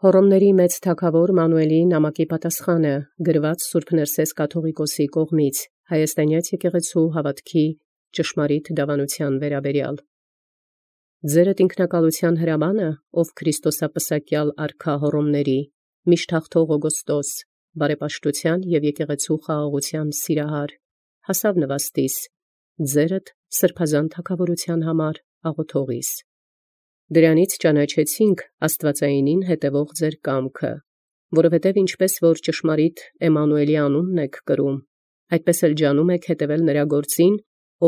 Հոռոմների մեծ թագաւոր Մանուէլի նամակի պատասխանը գրված Սուրբ Ներսես կաթողիկոսի կողմից Հայաստանեաց եկեղեցու հաւատքի ճշմարիտ դավանութեան վերաբերյալ։ Ձերդ ինքնակալության հրամանը, ով Քրիստոսապսակյալ արքա Հոռոմների, միշտ հաղթող Օգոստոս, բարեպաշտութեան եւ եկեղեցու խաղաղութեան սիրահար, հասաւ նվաստիս, ձերդ սրբազան թագաւորութեան համար աղոթողիս։ Դրանից ճանաչեցինք Աստուածայինին հետևող ձեր կամքը, որովհետև ինչպես որ ճշմարիտ Էմմանուէլի անունն եք կրում, այդպես էլ ջանում եք հետևել նրա գործին,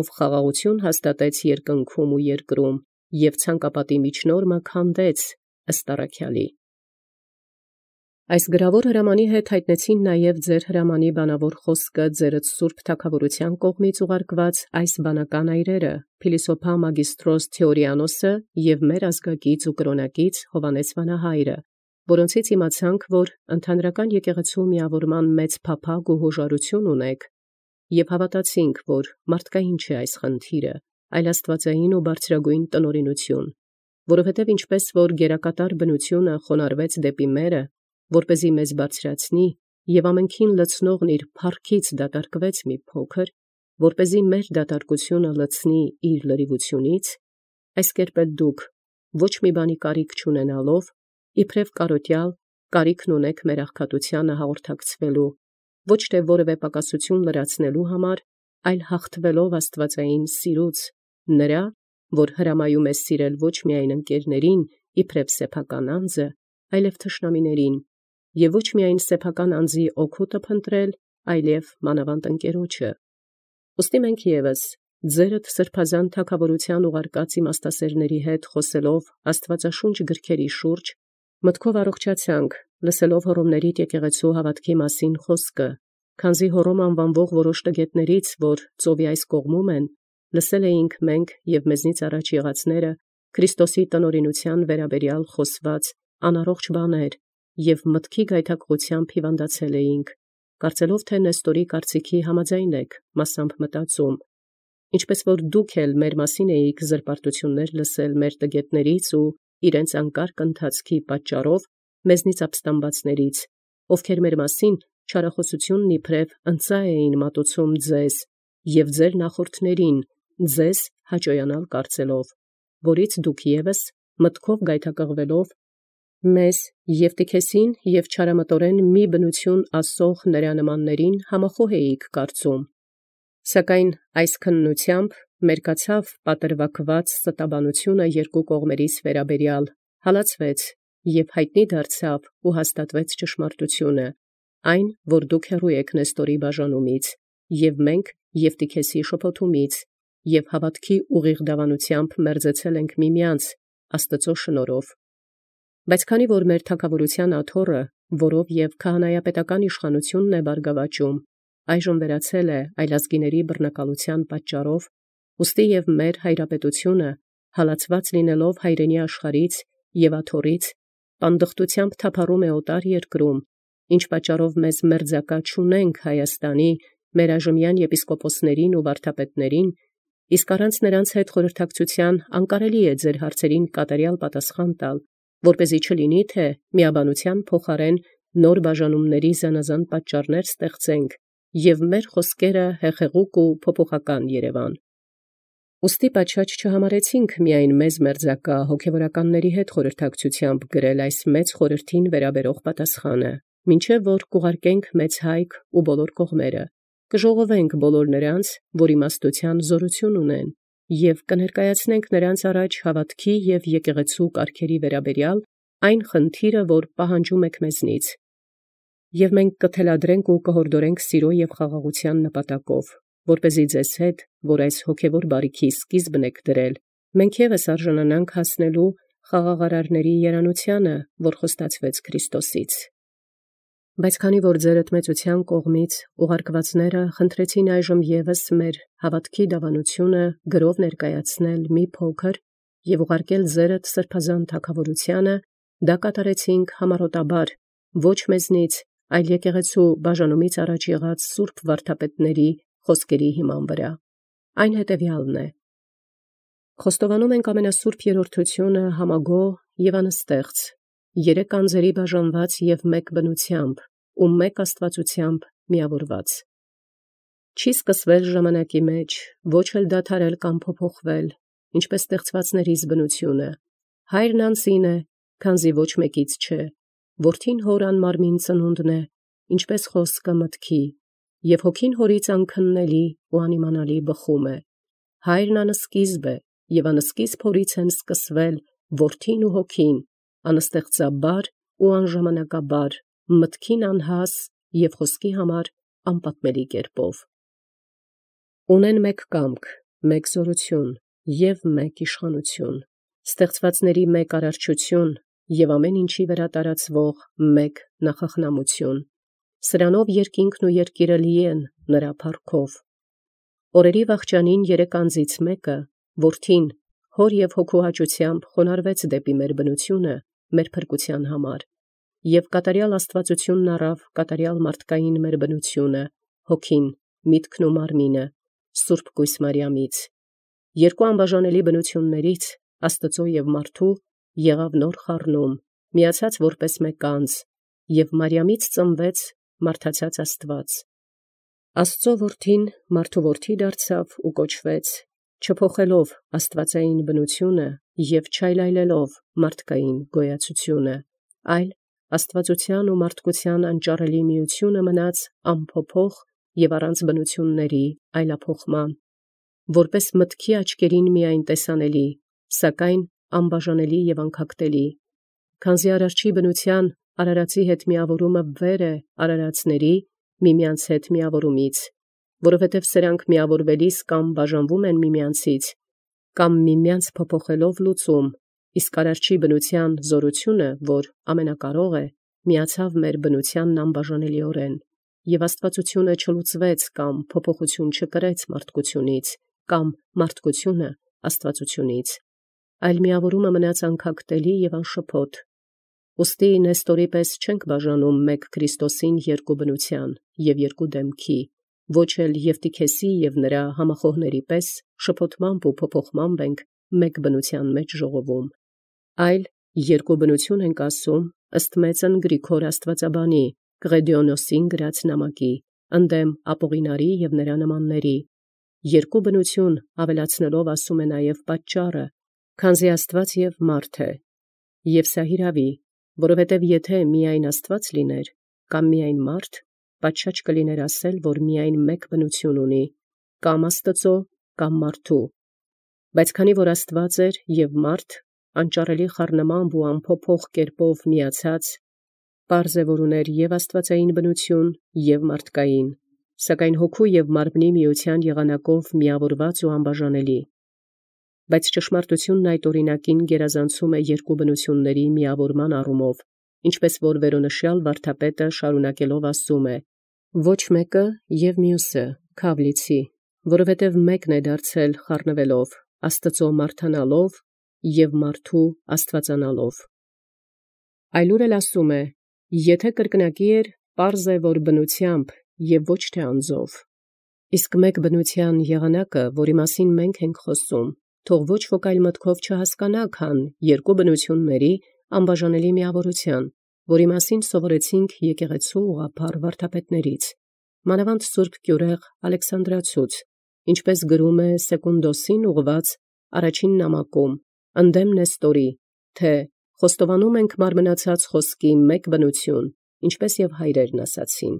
ով խաղաղություն հաստատեց երկնքում ու երկրում, եւ ցանկապատի միջնորմը քանդեց ըստ առաքյալի։ Այս գրավոր հրամանի հետ հայտնեցին նաև ձեր հրամանի բանավոր խոսքը ձերդ Սուրբ Թագավորության կողմից ուղարկված այս բանական այրերը, Փիլիսոփա Մագիստրոս Թեորիանոսը եւ մեր ազգակից ու կրոնակից Հովանես Վանահայրը, որոնցից իմացանք, որ ընդհանրական եկեղեցու միավորման մեծ փափագ ու հոժարություն ունեք, եւ հավատացինք, որ մարդկային չէ այս խնդիրը, այլ աստվածային ու բարձրագույն տնօրինություն, որովհետև ինչպես որ գերակատար բնությունը խոնարհվեց դեպի մերը, որպեսզի մեզ բարձրացնի, եւ ամենքին լցնողն իր փառքից դատարկվեց մի փոքր, որպեսզի մեր դատարկությունը լցնի իր լրիվությունից, այս կերպ էլ դուք ոչ մի բանի կարիք չունենալով, իբրև կարոտյալ կարիքն ունեք մեր աղքատությանը հաղորդակցվելու, ոչ թե որևէ պակասություն լրացնելու համար, այլ հաղթվելով աստվածային սիրուց, նրա, որ հրամայում է սիրել ոչ միայն ընկերներին, իբրև սեփական անձը, այլև թշնամիներին, եւ ոչ միայն սեփական անձի օգուտը փնտրել, այլև մանավանդ ընկերոջը։ Ուստի մենք եւս ձերդ սրբազան թագավորության ուղարկած իմաստասերների հետ խոսելով Աստվածաշունչ գրքերի շուրջ, մտքով առողջացանք, լսելով Հոռոմների եկեղեցու հաւատքի մասին խոսքը, քանզի Հոռոմ անվանվող որոշ տգետներից, որ ծովի այս կողմում են, լսել էինք մենք եւ մեզնից առաջ եղածները Քրիստոսի տնօրինության վերաբերյալ խոսված անառողջ բաներ, եւ մտքի գայթակղությամբ հիվանդացել էինք, կարծելով թե Նեստորի կարծիքի համաձայն եք, մասամբ մտածում, ինչպես որ դուք էլ մեր մասին էիք զրպարտություններ լսել մեր տգետներից ու իրենց անկարգ ընթացքի պատճառով մեզնից ապստամբածներից, ովքեր մեր մասին չարախոսությունն իբրև ընծա էին մատուցում ձեզ եւ ձեր նախորդներին, ձեզ հաճոյանալ կարծելով, որից դուք եւս մտքով գայթակղվելով մեզ Եվտիքեսին եւ չարամտորեն մի բնություն ասող նրա նմաններին համախոհ էիք կարծում, սակայն այս քննությամբ մերկացավ պատրվակված ստաբանությունը երկու կողմերից վերաբերյալ, հալածվեց եւ հայտնի դարձավ ու հաստատվեց ճշմարտությունը, այն, որ դուք հեռու եք Նեստորի բաժանումից, եւ մենք Եվտիքեսի շփոթումից, եւ հավատքի ուղիղ դավանությամբ մերձեցել ենք միմյանց Աստծո շնորհով։ Բայց քանի որ մեր թագավորության աթոռը, որով եւ քահանայապետական իշխանությունն է բարգավաճում, այժմ վերացել է այլազգիների բռնակալության պատճառով, ուստի եւ մեր հայրապետությունը, հալածված լինելով հայրենի աշխարհից եւ աթոռից, պանդխտությամբ թափառում է օտար երկրում, ինչ պատճառով մեզ մերձակա չունենք Հայաստանի, մեր այժմյան եպիսկոպոսներին ու վարդապետներին, իսկ առանց նրանց հետ խորհրդակցության անկարելի է ձեր հարցերին կատարյալ պատասխան տալ, որպեսզի չլինի թե միաբանության փոխարեն նոր բաժանումների զանազան պատճառներ ստեղծենք եւ մեր խոսքերը հեղեղուկ ու փոփոխական երևան։ Ուստի պատշաճ չհամարեցինք միայն մեզ մերձակա հոգևորականների հետ խորհրդակցությամբ գրել այս մեծ խորհրդին վերաբերող պատասխանը, մինչև որ կուղարկենք մեծ հայք ու բոլոր կողմերը, կժողովենք բոլոր նրանց, որ իմաստության զորություն ունեն, եւ կներկայացնենք նրանց առաջ հավատքի եւ եկեղեցու կարգերի վերաբերյալ այն խնդիրը, որ պահանջում եք մեզնից, եւ մենք կթելադրենք ու կհորդորենք սիրո եւ խաղաղության նպատակով, որպեսզի ձեզ հետ, որ այս հոգևոր բարիքի սկիզբն եք դրել, մենք եւս արժանանանք հասնելու խաղաղարարների երանությանը, որ խոստացվեց Քրիստոսից։ Բայց քանի որ ձերդ մեծության կողմից ուղարկվածները խնդրեցին այժմ եւս մեր հավատքի դավանությունը գրով ներկայացնել մի փոքր եւ ուղարկել ձերդ սրբազան թագավորությանը, դա կատարեցինք համառոտաբար, ոչ մեզնից, այլ եկեղեցու բաժանումից առաջ եղած սուրբ վարդապետների խոսքերի հիման վրա։ Այն հետևյալն է. Խոստովանում ենք ամենասուրբ երրորդությունը համագոհ եւ անստեղծ, երեք անձերի բաժանված և մեկ բնությամբ, ու մեկ աստվածությամբ միավորված։ Չի սկսվել ժամանակի մեջ, ոչ էլ դադարել կամ փոփոխվել, ինչպես ստեղծվածներիս բնությունը։ Հայրն անձին է, քանզի ոչ մեկից չէ, որդին հոր անմարմին ծնունդն է, ինչպես խոսքը մտքի, և հոգին հորից անքննելի ու անիմանալի բխում է։ Հայրն անսկիզբ է, և անսկիզբ հորից են սկսվել որդին ու հոգին, անստեղծաբար ու անժամանակաբար, մտքին անհաս և խոսքի համար անպատմելի կերպով։ Ունեն մեկ կամք, մեկ զորություն և մեկ իշխանություն, ստեղծվածների մեկ արարչություն և ամեն ինչի վրա տարածվող մեկ նախախնամություն։ Սրանով երկինքն ու երկիրը լի են նրա փառքով։ Օրերի վախճանին երեք անձից մեկը, որդին, հոր և հոգու հաճությամբ խոնարհվեց դեպի մեր բնությունը, մեր փրկության համար, և կատարյալ աստվածությունն առավ կատարյալ մարդկային մեր բնությունը, հոգին, միտքն ու մարմինը, Սուրբ Կույս Մարիամից։ Երկու անբաժանելի բնություններից, Աստծո և մարդու, եղավ նոր խառնում, միացած որպես մեկ անձ, և Մարիամից ծնվեց մարդացած Աստված։ Աստծո որդին մարդու որդի դարձավ ու կոչվեց, չփոխելով աստվածային բնությունը և չայլայլելով մարդկային գոյացությունը, այլ աստվածության ու մարդկության անճառելի միությունը մնաց անփոփոխ և առանց բնությունների այլափոխման, որպես մտքի աչքերին միայն տեսանելի, սակայն անբաժանելի և անքակտելի, քանզի արարչի բնության արարածի հետ միավորումը վեր է արարածների միմյանց հետ միավորումից, որովհետև սրանք միավորվելիս կամ բաժանվում են միմյանցից, կամ միմյանց փոփոխելով լուծում, իսկ արարչի բնության զորությունը, որ ամենակարող է, միացավ մեր բնությանն անբաժանելիորեն, և աստվածությունը չլուծվեց կամ փոփոխություն չկրեց մարդկությունից, կամ մարդկությունը աստվածությունից, այլ միավորումը մնաց անքակտելի և անշփոթ։ Ուստի Նեստորի պես չենք բաժանում մեկ Քրիստոսին երկու բնության և երկու դեմքի, ոչ էլ Եվտիքեսի և նրա համախոհների պես շփոթմամբ ու փոփոխմամբ ենք մեկ բնության մեջ ժողովում, այլ երկու բնություն ենք ասում ըստ մեծն Գրիգոր աստվածաբանի Կղեդիոնոսին գրած նամակի, ընդդեմ Ապողինարի և նրա նմանների, երկու բնություն ավելացնելով ասում է նաև պատճառը, քանզի Աստված և մարդ է, և սա հիրավի, որովհետև եթե միայն Աստված լիներ, կամ միայն մարդ, պատշաճ կլիներ ասել, որ միայն մեկ բնություն ունի, կամ Աստծո, կամ մարդու, բայց քանի որ Աստված էր և մարդ, անճառելի խառնմամբ ու անփոփոխ կերպով միացած, պարզ է, որ ուներ և աստվածային բնություն, և մարդկային, սակայն հոգու և մարմնի միության եղանակով միավորված ու անբաժանելի։ Բայց ճշմարտությունն այդ օրինակին գերազանցում է երկու բնությունների միավորման առումով, ինչպես որ վերոնշյալ վարդապետը շարունակելով ասում է. ոչ մեկը և մյուսը քավ լիցի, որովհետև մեկն է դարձել խառնվելով, Աստծո մարդանալով և մարդու աստվածանալով։ Այլուր էլ ասում է. եթե կրկնակի էր, պարզ է, որ բնությամբ և ոչ թե անձով։ Իսկ մեկ բնության եղանակը, որի մասին մենք ենք խոսում, թող ոչ ոք այլ մտքով չհասկանա, քան երկու բնությունների անբաժանելի միավորության, որի մասին սովորեցինք եկեղեցու ուղղափառ վարդապետներից, մանավանդ Սուրբ Գյուրեղ Ալեքսանդրացուց, ինչպես գրում է Սեկունդոսին ուղղված առաջին նամակում, ընդդեմ Նեստորի, թե խոստովանում ենք մարմնացած խոսքի մեկ բնություն, ինչպես և հայրերն ասացին։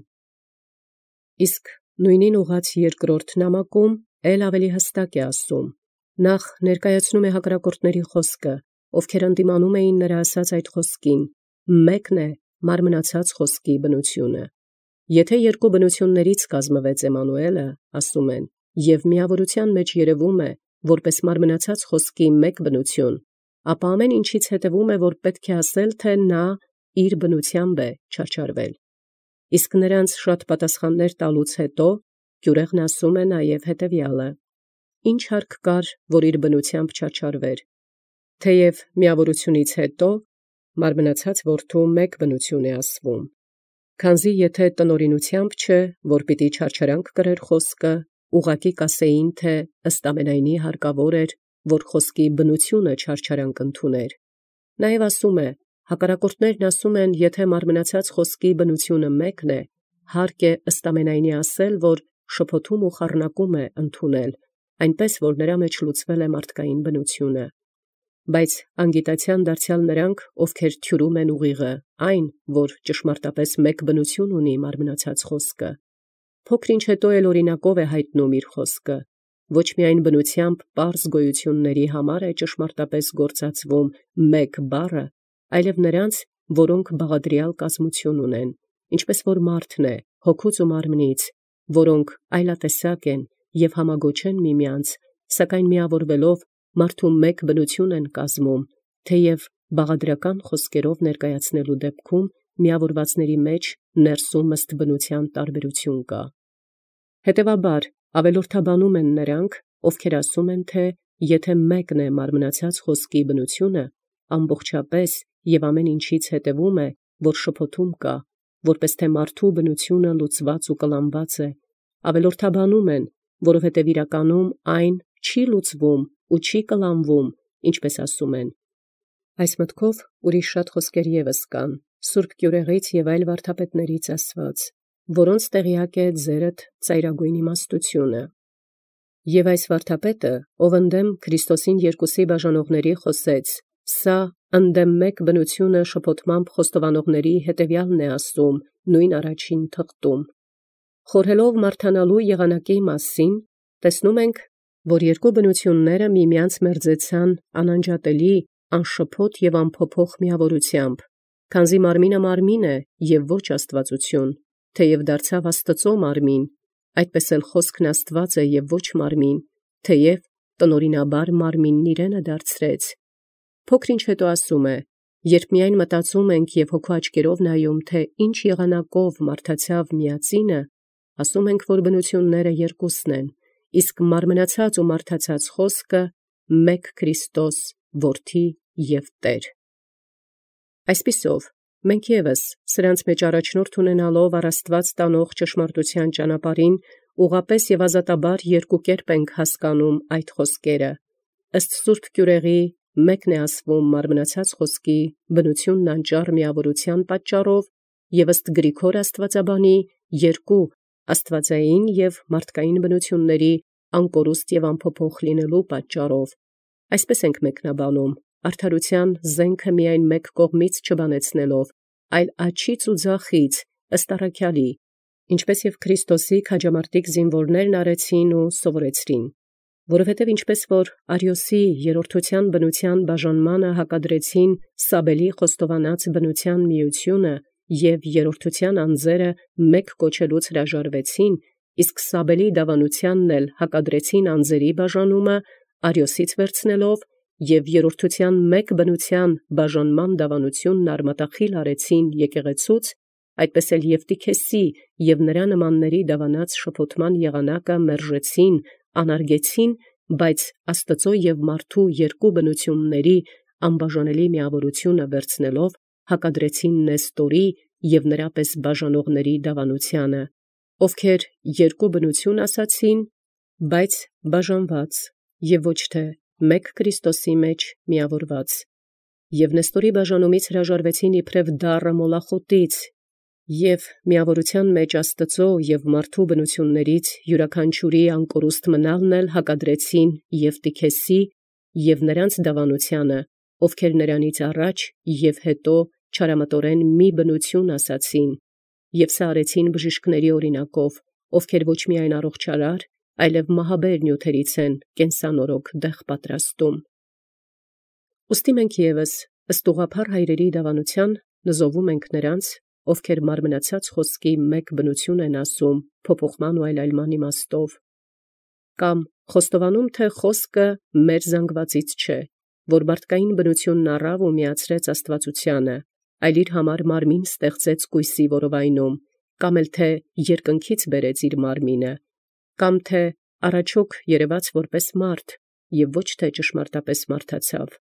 Իսկ նույնին ուղղած երկրորդ նամակում էլ ավելի հստակ է ասում. նախ ներկայացնում է հակառակորդների խոսքը, ովքեր ընդդիմանում էին նրա ասած այդ խոսքին, մեկն է մարմնացած խոսքի բնությունը։ Եթե երկու բնություններից կազմվեց Էմմանուելը, ասում են, և միավորության մեջ երևում է, որպես մարմնացած խոսքի մեկ բնություն, ապա ամեն ինչից հետևում է, որ պետք է ասել, թե նա իր բնությամբ է չարչարվել։ Իսկ նրանց շատ պատասխաններ տալուց հետո Գյուրեղն ասում է նաև հետևյալը. ինչ հարկ կար, որ իր բնությամբ չարչարվեր, թեև միավորությունից հետո մարմնացած որդու մեկ բնություն է ասվում, քանզի եթե տնօրինությամբ չէ, որ պիտի չարչարանք կրեր խոսքը, ուղղակի կասեին, թե ըստ ամենայնի հարկավոր էր, որ խոսքի բնությունը չարչարանք ընդուներ։ Նաև ասում է, Հակառակորդներն ասում են, եթե մարմնացած խոսքի բնությունը մեկն է, հարկ է ըստ ամենայնի ասել, որ շփոթում ու խառնակում է ընդունել, այնպես որ նրա մեջ լուծվել է մարդկային բնությունը։ Բայց անգիտացիան դարձյալ նրանք, ովքեր թյուրում են ուղիղը, այն, որ ճշմարտապես մեկ բնություն ունի մարմնացած խոսքը, փոքր-ինչ հետո էլ օրինակով է հայտնում իր խոսքը, ոչ միայն բնությամբ պարզ գոյությունների համար է ճշմարտապես գործածվում մեկ բառը, այլև նրանց, որոնք բաղադրյալ կազմություն ունեն, ինչպես որ մարդն է, հոգուց ու մարմնից, որոնք այլատեսակ են և համագոչեն միմյանց, սակայն միավորվելով մարդու մեկ բնություն են կազմում, թեև բաղադրական խոսքերով ներկայացնելու դեպքում միավորվածների մեջ ներսում ըստ բնության տարբերություն կա։ Հետևաբար ավելորդաբանում են նրանք, ովքեր ասում են, թե եթե մեկն է մարմնացած խոսքի բնությունը, ամբողջապես և ամեն ինչից հետևում է, որ շփոթում կա, որպես թե մարդու բնությունը լուծված ու կլանված է, ավելորդաբանում են, որովհետև իրականում այն չի լուծվում ու չի կլանվում, ինչպես ասում են։ Այս մտքով ուրիշ շատ խոսքեր ևս կան, Սուրբ Գյուրեղից և այլ վարդապետներից ասված, որոնց տեղյակ է ձերդ ծայրագույն իմաստությունը։ Եվ այս վարդապետը, ով ընդդեմ Քրիստոսին երկուսի բաժանողների խոսեց, սա ընդդեմ մեկ բնությունը շփոթմամբ խոստովանողների հետևյալն է ասում, նույն առաջին թղթում։ Խորհելով մարդանալու եղանակի մասին, տեսնում ենք, որ երկու բնությունները միմյանց մերձեցան անանջատելի, անշփոթ և անփոփոխ միավորությամբ, քանզի մարմինը մարմին է և ոչ աստվածություն, թեև դարձավ Աստծո մարմին, այդպես էլ խոսքն Աստված է և ոչ մարմին, թեև տնօրինաբար մարմինն իրենը դարձրեց։ Փոքր-ինչ հետո ասում է. երբ միայն մտածում ենք և հոգու աչքերով նայում, թե ինչ եղանակով մարդացավ միածինը, ասում ենք, որ բնությունները երկուսն են, իսկ մարմնացած ու մարդացած խոսքը մեկ Քրիստոս, Որդի և Տեր։ Այսպիսով, մենք ևս սրանց մեջ առաջնորդ ունենալով առ Աստված տանող ճշմարտության ճանապարհին, ուղղապես և ազատաբար երկու կերպ ենք հասկանում այդ խոսքերը։ Ըստ Սուրբ Գյուրեղի մեկն է ասվում մարմնացած խոսքի բնությունն անճառ միավորության պատճառով, և ըստ Գրիգոր աստվածաբանի երկու աստվածային և մարդկային բնությունների անկորուստ և անփոփոխ լինելու պատճառով։ Այսպես ենք մեկնաբանում, արդարության զենքը միայն մեկ կողմից չբանեցնելով, այլ աջից ու ձախից, ըստ առաքյալի, ինչպես և Քրիստոսի քաջամարտիկ զինվորներն արեցին ու սովորեցրին, որովհետև ինչպես որ Արիոսի երրորդության բնության բաժանմանը հակադրեցին Սաբելի խոստովանած բնության միությունը և երրորդության անձերը մեկ կոչելուց հրաժարվեցին, իսկ Սաբելի դավանությանն էլ հակադրեցին անձերի բաժանումը Արիոսից վերցնելով և երրորդության մեկ բնության բաժանման դավանությունն արմատախիլ արեցին եկեղեցուց, այդպես էլ Եվտիքեսի և նրա նմանների դավանած շփոթման եղանակը մերժեցին, անարգեցին, բայց Աստծո և մարդու երկու բնությունների անբաժանելի միավորությունը վերցնելով հակադրեցին Նեստորի և նրա պես բաժանողների դավանությանը, ովքեր երկու բնություն ասացին, բայց բաժանված, և ոչ թե մեկ Քրիստոսի մեջ միավորված, և Նեստորի բաժանումից հրաժարվեցին իբրև դառը մոլախոտից, և միավորության մեջ Աստծո և մարդու բնություններից յուրաքանչյուրի անկորուստ մնալն էլ հակադրեցին Եվտիքեսի և նրանց դավանությանը, ովքեր նրանից առաջ և հետո չարամտորեն մի բնություն ասացին, և սա արեցին բժիշկների օրինակով, ովքեր ոչ միայն առողջարար, այլև մահաբեր նյութերից են կենսանորոգ դեղ պատրաստում։ Ուստի մենք ևս ըստ ուղղափառ հայրերի դավանության նզովում ենք նրանց, ովքեր մարմնացած խոսքի մեկ բնություն են ասում փոփոխման ու այլայլման իմաստով, կամ խոստովանում, թե խոսքը մեր զանգվածից չէ, որ մարդկային բնությունն առավ ու միացրեց աստվածությանը, այլ իր համար մարմին ստեղծեց կույսի որովայնում, կամ էլ թե երկնքից բերեց իր մարմինը, կամ թե առաջոք երևաց որպես մարդ և ոչ թե ճշմարտապես մարդացավ։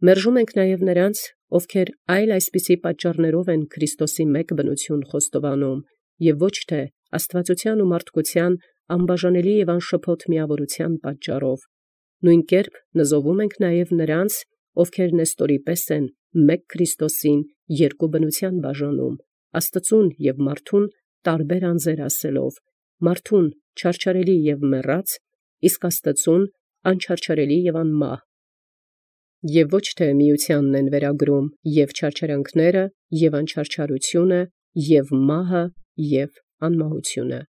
Մերժում ենք նաև նրանց, ովքեր այլ այսպիսի պատճառներով են Քրիստոսի մեկ բնություն խոստովանում, և ոչ թե աստվածության ու մարդկության անբաժանելի և անշփոթ միավորության պատճառով։ Նույն կերպ նզովում ենք նաև նրանց, ովքեր Նեստորի պես են մեկ Քրիստոսին երկու բնության բաժանում, Աստծուն և մարդուն տարբեր անձեր ասելով, մարդուն չարչարելի և մեռած, իսկ Աստծուն անչարչարելի և անմահ։ Եվ ոչ թե միությանն են վերագրում և չարչարանքները, և անչարչարությունը, և մահը, և անմահությունը։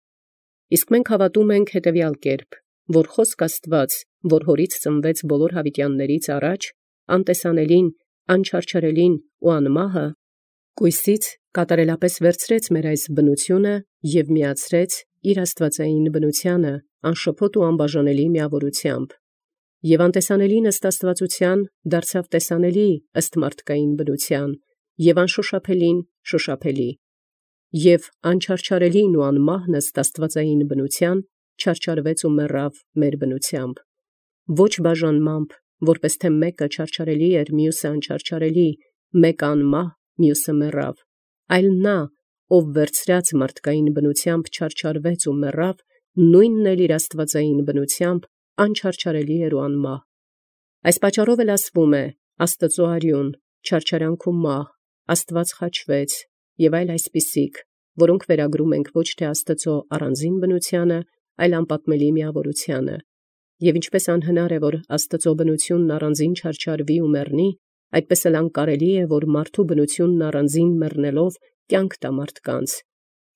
Իսկ մենք հավատում ենք հետևյալ կերպ, որ խոսք Աստուած, որ հորից ծնվեց բոլոր յաւիտեաններից առաջ, անտեսանելին, անչարչարելին ու անմահը, կույսից կատարելապես վերցրեց մեր այս բնությունը և միացրեց իր աստուածային բնութեանը անշփոթ ու անբաժանելի միավորությամբ, և անտեսանելին ըստ աստուածութեան դարձավ տեսանելի ըստ մարդկային բնութեան, և անշոշափելին շոշափելի, և անչարչարելին ու անմահն ըստ աստուածային բնութեան չարչարվեց ու մեռավ մեր բնութեամբ, ոչ բաժանմամբ, որպէս թէ մեկը չարչարելի էր, մյուսը անչարչարելի, մեկը անմահ, մյուսը մեռավ, այլ նա, ով վերցրած մարդկային բնութեամբ չարչարվեց ու մեռավ, նույնն էլ իր աստուածային բնութեամբ անչարչարելի էր ու անմահ։ Այս պատճառով էլ ասվում է. Աստուծոյ արյուն, չարչարանք ու մահ, Աստուած խաչվեց, և այլ այսպիսիք, որոնք վերագրում ենք ոչ թե Աստծո առանձին բնութեանը, այլ անպատմելի միավորութեանը։ Եվ ինչպես անհնար է, որ Աստծո բնությունն առանձին չարչարվի ու մեռնի, այդպես էլ անկարելի է, որ մարդու բնությունն առանձին մեռնելով կյանք տա մարդկանց։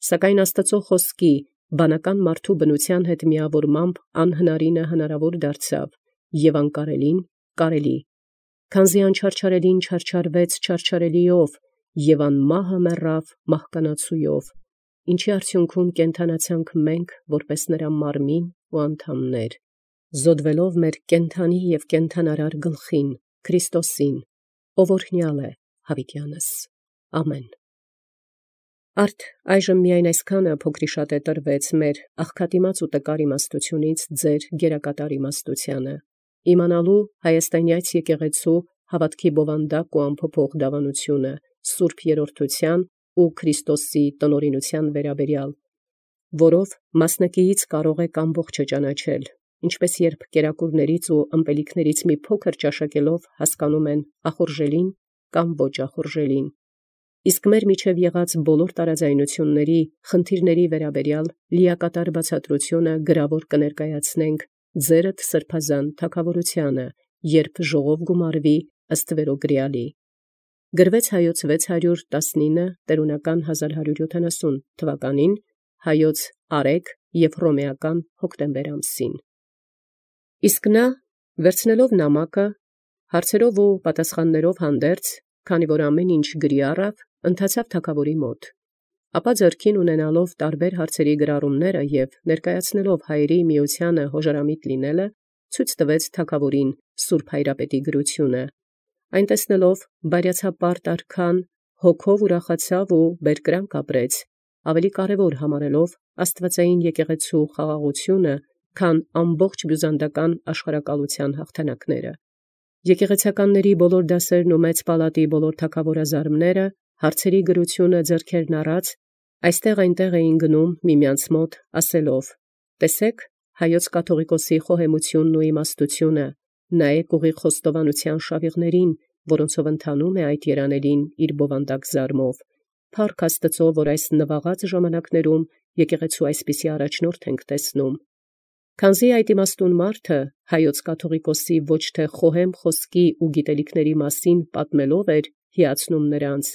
Սակայն Աստծո խոսքի բանական մարդու բնության հետ միավորմամբ անհնարինը հնարավոր դարձավ, և անկարելին կարելի։ Քանզի անչարչարելին չարչարվեց չարչարելիով, և անմահը մեռավ մահկանացույով, ինչի արդյունքում կենդանացանք մենք որպես նրա մարմին ու անդամներ, զոդվելով մեր կենդանի և կենդանարար գլխին, Քրիստոսին, ով օրհնյալ է յաւիտեանս։ Ամեն։ Արդ այժմ միայն այսքանը փոքրիշատե տրվեց մեր աղքատիմաց ու տկար իմաստութիւնից ձեր գերակատար իմաստութեանը, իմանալու հայաստանյաց եկեղեցու հաւատքի բովանդակ ու անփոփոխ դավանությունը, սուրբ երրորդութեան ու Քրիստոսի տնօրինութեան վերաբերյալ, որով մասնակիից կարող եք ամբողջը ճանաչել, ինչպես երբ կերակուրներից ու ըմպելիքներից մի փոքր ճաշակելով հասկանում են ախորժելին կամ ոչ ախորժելին, իսկ մեր միջև եղած բոլոր տարաձայնությունների, խնդիրների վերաբերյալ լիակատար բացատրությունը գրավոր կներկայացնենք ձերդ սրբազան թագաւորութեանը, երբ ժողով գումարվի ըստ վերոգրեալի։ Գրվեց Հայոց 619 տերունական 1170 թվականին, Հայոց Արեգ և Հռոմեական հոկտեմբեր ամսին։ Իսկ նա, վերցնելով նամակը, հարցերով ու պատասխաններով հանդերձ, քանի որ ամեն ինչ գրի առավ, ընթացավ թագաւորի մոտ, ապա ձեռքին ունենալով տարբեր հարցերի գրառումները և ներկայացնելով հայերի միությանը հոժարամիտ լինելը, ցույց տվեց թագաւորին սուրբ հայրապետի գրությունը, այն տեսնելով բարյացապարտ արքան հոգով ուրախացավ ու բերկրանք ապրեց, ավելի կարևոր համարելով աստուածային եկեղեցու խաղաղությունը, քան ամբողջ բյուզանդական աշխարհակալության հաղթանակները։ Եկեղեցականների բոլոր դասերն ու մեծ պալատի բոլոր թագաւորազարմները հարցերի գրությունը ձեռքերն առած այստեղ այնտեղ էին գնում միմյանց մոտ ասելով. «Տեսեք Հայոց կաթողիկոսի խոհեմությունն ու իմաստությունը, նայեք ուղիղ խոստովանության շավիղներին, որոնցով ընթանում է այդ երանելին իր բովանդակ զարմով։ Փառք Աստծո, որ այս նվաղած ժամանակներում եկեղեցու այսպիսի առաջնորդ ենք տեսնում։ Քանզի այդ իմաստուն մարդը Հայոց կաթողիկոսի ոչ թե խոհեմ խոսքի ու գիտելիքների մասին պատմելով էր հիացնում նրանց,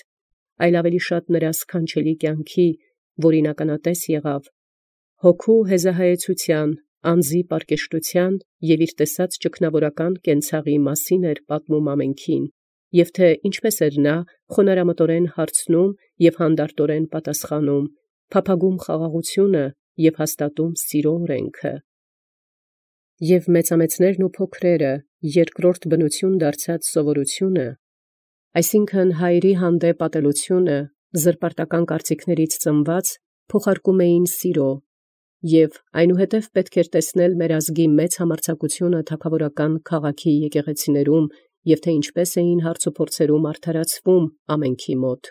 այլ ավելի շատ նրա սքանչելի կյանքի, որին ականատես եղավ, հոգու հեզահայեցութեան, անձի պարկեշտութեան և իր տեսած ճգնավորական կենցաղի մասին էր պատմում ամենքին, և թե ինչպես էր նա խոնարհամտորեն հարցնում և հանդարտորեն պատասխանում, փափագում խաղաղությունը և հաստատում սիրո օրենքը։ Եւ մեծամեծներն ու փոքրերը երկրորդ բնություն դարձած սովորությունը, այսինքն հայերի հանդեպ ատելությունը, զրպարտական կարծիքներից ծնված, փոխարկում էին սիրո, և այնուհետև պետք էր տեսնել մեր ազգի մեծ համարձակությունը թագաւորական քաղաքի եկեղեցիներում և թե ինչպես էին հարց ու փորձերում արդարացվում ամենքի մոտ։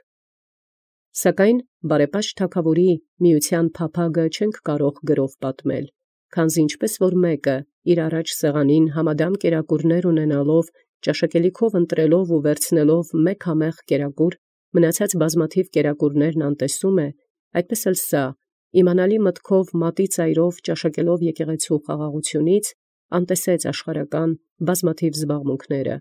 Սակայն բարեպաշտ թագաւորի միության փափագը չենք կարող գրով պատմել, քանզի ինչպես որ մեկը իր առաջ սեղանին համադամ կերակուրներ ունենալով ճաշակելիքով ընտրելով ու վերցնելով մեկ համեղ կերակուր, մնացած բազմաթիվ կերակուրներն անտեսում է, այդպես էլ սա, իմանալի մտքով մատի ծայրով ճաշակելով եկեղեցու խաղաղությունից, անտեսեց աշխարհական բազմաթիվ զբաղմունքները,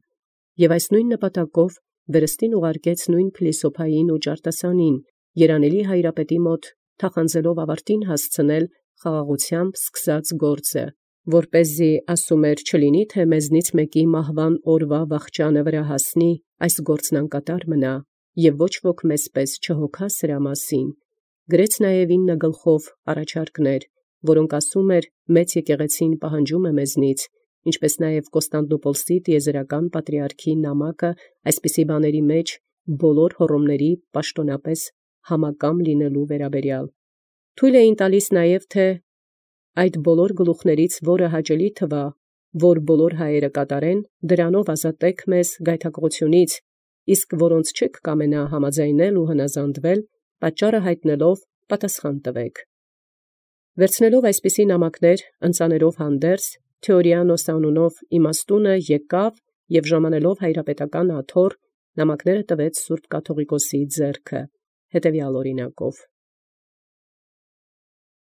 եւ այս նույն նպատակով վերստին ուղարկեց նույն փիլիսոփային ու ճարտասանին, երանելի հայրապետի մոտ թախանձելով ավարտին հասցնել խաղաղությամբ սկսած գործը, որպեսզի ասում էր չլինի, թե մեզնից մեկի մահվան օրվա վախճանը վրա հասնի, այս գործն անկատար մնա, եւ ոչ ոք մեզպես չհոգա սրա մասին։ Գրեց նաև 9 գլխով առաջարկներ, որոնք ասում էր մեծ եկեղեցին պահանջում է մեզնից, ինչպես նաև Կոստանդնուպոլսի տիեզերական պատրիարքի նամակը այսպիսի բաների մեջ բոլոր հռոմների պաշտոնապես համակամ լինելու վերաբերյալ։ Թույլ էին տալիս նաև, թե այդ բոլոր գլուխներից որը հաճելի թվա, որ բոլոր հայերը կատարեն, դրանով ազատեք մեզ գայթակղությունից, իսկ որոնց չեք կամենա համաձայնել ու հնազանդվել, պատճառը հայտնելով պատասխան տվեք։ Վերցնելով այսպիսի նամակներ, ընծաներով հանդերձ, Թեորիանոս անունով իմաստունը եկավ եւ ժամանելով հայրապետական աթոռ նամակները տվեց Սուրբ Կաթողիկոսի ձեռքը, հետևյալ օրինակով։